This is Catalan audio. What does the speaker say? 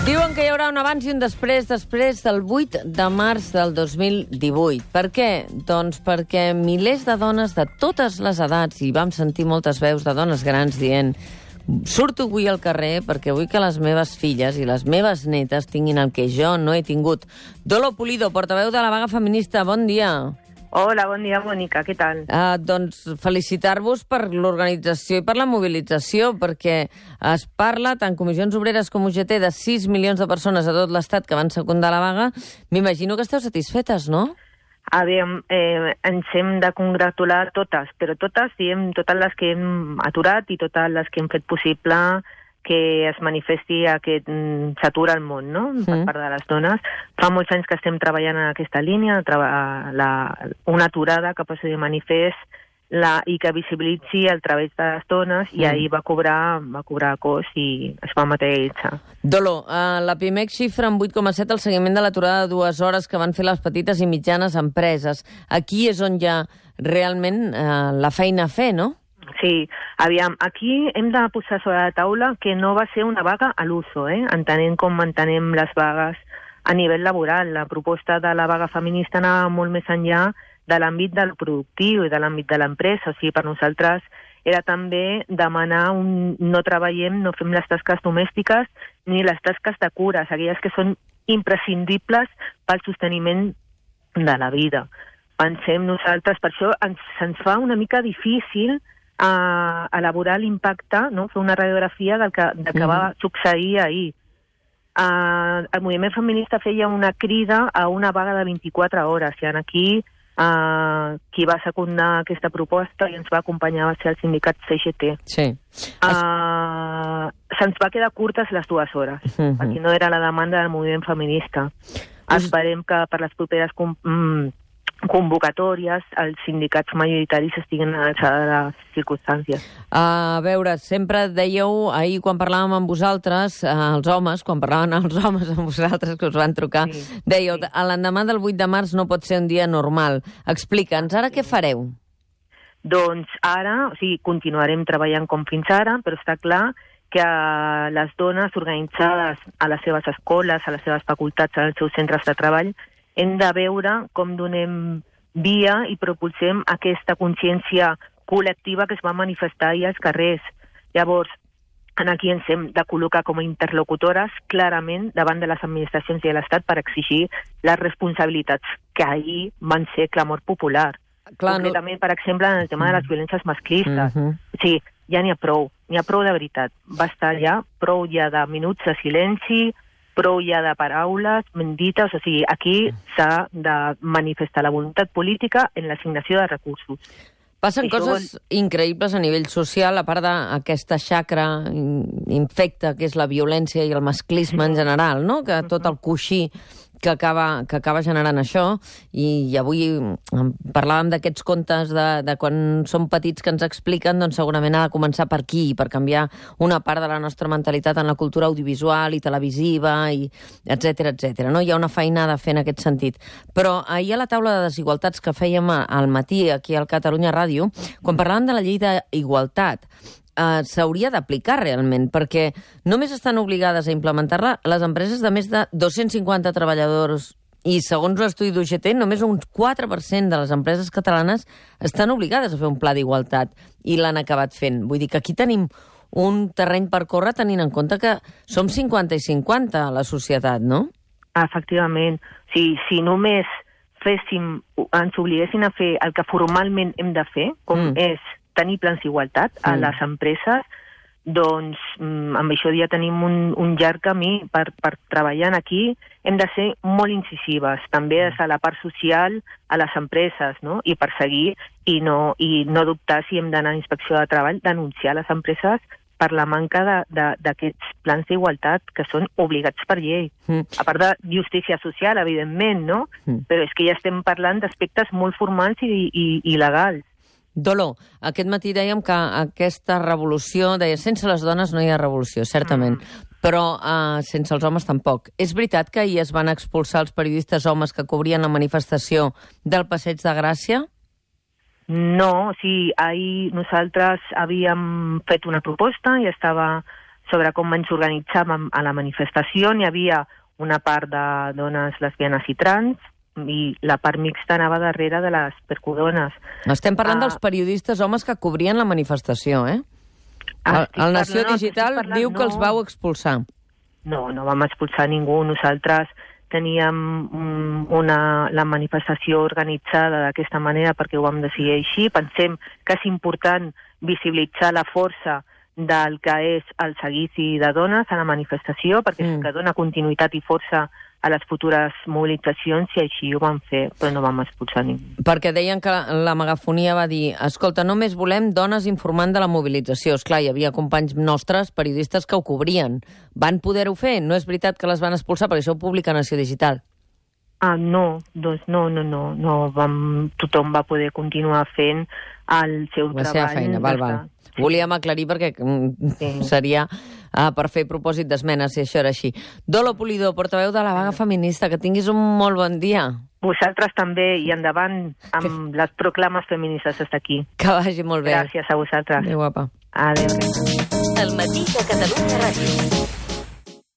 Diuen que hi haurà un abans i un després del 8 de març del 2018. Per què? Doncs perquè milers de dones de totes les edats, i vam sentir moltes veus de dones grans dient surto avui al carrer perquè vull que les meves filles i les meves netes tinguin el que jo no he tingut. Dolo Pulido, portaveu de la vaga feminista, bon dia. Hola, bon dia, Mònica, què tal? Doncs felicitar-vos per l'organització i per la mobilització, perquè es parla, tant Comissions Obreres com UGT, de 6 milions de persones a tot l'Estat que van secundar la vaga. M'imagino que esteu satisfetes, no? A veure, ens hem de congratular totes, però totes, diem, totes les que hem aturat i totes les que hem fet possible que es manifesti aquest s'atura el món, no?, per part de les dones. Fa molts anys que estem treballant en aquesta línia, una aturada que posi de manifest i que visibilitzi el treball de les dones, i ahir va cobrar cos i es va materialitzar. Dolo, la PIMEC xifra en 8,7 el seguiment de l'aturada de 2 hores que van fer les petites i mitjanes empreses. Aquí és on hi ha realment la feina a fer, no? Sí, aviam, aquí hem de posar sobre la taula que no va ser una vaga a l'uso, entenent com entenem les vagues a nivell laboral. La proposta de la vaga feminista anava molt més enllà de l'àmbit del productiu i de l'àmbit de l'empresa. O sigui, per nosaltres era també demanar no treballem, no fem les tasques domèstiques ni les tasques de cures, aquelles que són imprescindibles pel sosteniment de la vida. Pensem nosaltres, per això se'ns fa una mica difícil a elaborar l'impacte, no?, fer una radiografia del que va succeir ahir. El moviment feminista feia una crida a una vaga de 24 hores, i aquí qui va secundar aquesta proposta i ens va acompanyar va ser el sindicat CGT. Sí. Se'ns va quedar curtes les 2 hores, perquè no era la demanda del moviment feminista. Esperem que per les properes convocatòries els sindicats majoritaris estiguin a l'alçada de les circumstàncies. A veure, sempre dèieu, ahir quan parlàvem amb vosaltres, els homes, quan parlaven els homes amb vosaltres, que us van trucar, dèieu, l'endemà del 8 de març no pot ser un dia normal. Explica'ns, ara què fareu? Doncs ara, continuarem treballant com fins ara, però està clar que les dones organitzades a les seves escoles, a les seves facultats, als seus centres de treball, hem de veure com donem via i propulsem aquesta consciència col·lectiva que es va manifestar ahir als carrers. Llavors, aquí ens hem de col·locar com a interlocutores clarament davant de les administracions i de l'Estat per exigir les responsabilitats que ahir van ser clamor popular. Concretament, per exemple, en el tema de les violències masclistes. Sí, ja n'hi ha prou de veritat. Basta ja, prou ja de minuts de silenci, prou ja de paraules bendites. O sigui, aquí s'ha de manifestar la voluntat política en l'assignació de recursos. Passen coses increïbles a nivell social, a part d'aquesta xacra infecta que és la violència i el masclisme en general, no?, que tot el coixí que acaba generant això. I avui parlàvem d'aquests contes de quan som petits que ens expliquen, doncs segurament ha de començar per aquí, per canviar una part de la nostra mentalitat en la cultura audiovisual i televisiva, i etcètera, etcètera, no? Hi ha una feinada a fer en aquest sentit. Però ahir a la taula de desigualtats que fèiem al matí aquí al Catalunya Ràdio, quan parlàvem de la llei d'igualtat, s'hauria d'aplicar realment, perquè només estan obligades a implementar-la les empreses de més de 250 treballadors, i segons l'estudi d'UGT, només un 4% de les empreses catalanes estan obligades a fer un pla d'igualtat, i l'han acabat fent. Vull dir que aquí tenim un terreny per córrer, tenint en compte que som 50 i 50 a la societat, no? Efectivament. Si només ens obliguessin a fer el que formalment hem de fer, com és tenir plans d'igualtat a les empreses, doncs amb això ja tenim un llarg camí per treballar aquí. Hem de ser molt incisives, també des de la part social a les empreses, no?, i perseguir i no dubtar si hem d'anar a inspecció de treball, denunciar les empreses per la manca d'aquests plans d'igualtat que són obligats per llei. A part de justícia social, evidentment, no? Però és que ja estem parlant d'aspectes molt formals i legals. Dolo, aquest matí dèiem que aquesta revolució, sense les dones no hi ha revolució, certament, però sense els homes tampoc. És veritat que ahir es van expulsar els periodistes homes que cobrien la manifestació del Passeig de Gràcia? No, ahir nosaltres havíem fet una proposta i estava sobre com ens organitzàvem a la manifestació. N'hi havia una part de dones lesbianes i trans, i la part mixta anava darrere de les percudones. Estem parlant dels periodistes homes que cobrien la manifestació, eh? El Nació Digital diu que els vau expulsar. No vam expulsar ningú. Nosaltres teníem la manifestació organitzada d'aquesta manera perquè ho vam decidir així. Pensem que és important visibilitzar la força del que és el seguici de dones a la manifestació, perquè és que dona continuïtat i força a les futures mobilitzacions, i així ho vam fer, però no vam expulsar ningú. Perquè deien que la megafonia va dir: escolta, només volem dones informant de la mobilització. Esclar, hi havia companys nostres, periodistes, que ho cobrien. Van poder-ho fer? No és veritat que les van expulsar, perquè això ho publica Nació Digital. No, doncs no. Tothom va poder continuar fent el seu treball. La seva feina, val. Volíem aclarir perquè seria per fer propòsit d'esmenes, si això era així. Dolo Polidor, portaveu de la vaga feminista, que tinguis un molt bon dia. Vosaltres també, i endavant amb les proclames feministes des d'aquí. Que vagi molt bé. Gràcies a vosaltres. Adéu, guapa. Adéu. El matí de Catalunya Ràdio.